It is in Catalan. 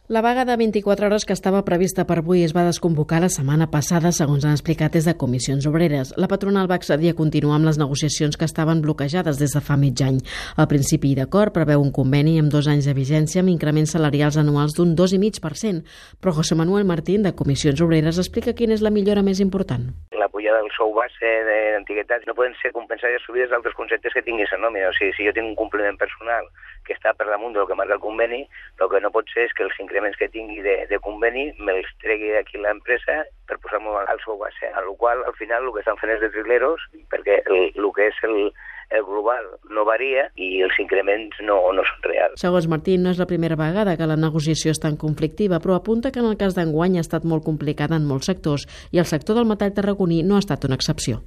La vaga de 24 hores que estava prevista per avui es va desconvocar la setmana passada, segons han explicat des de Comissions Obreres. La patronal va accedir a continuar amb les negociacions que estaven bloquejades des de fa mig any. El principi d'acord preveu un conveni amb 2 anys de vigència amb increments salarials anuals d'un 2,5%, però José Manuel Martín, de Comissions Obreres, explica quina és la millora més important. La pujada del sou base d'antiguitats no poden ser compensades subides d'altres conceptes que tingui la nòmina. O sigui, si jo tinc un complement personal que està per damunt del que marca el conveni, el que no pot ser és que els increments que tingui de conveni me'ls tregui aquí l'empresa per posar-me al sou base, a la qual al final el que estan fent és de trileros, perquè el que és el global no varia i els increments no són reals. Segons Martín, no és la primera vegada que la negociació és tan conflictiva, però apunta que en el cas d'enguany ha estat molt complicada en molts sectors i el sector del metall tarragoní no ha estat una excepció.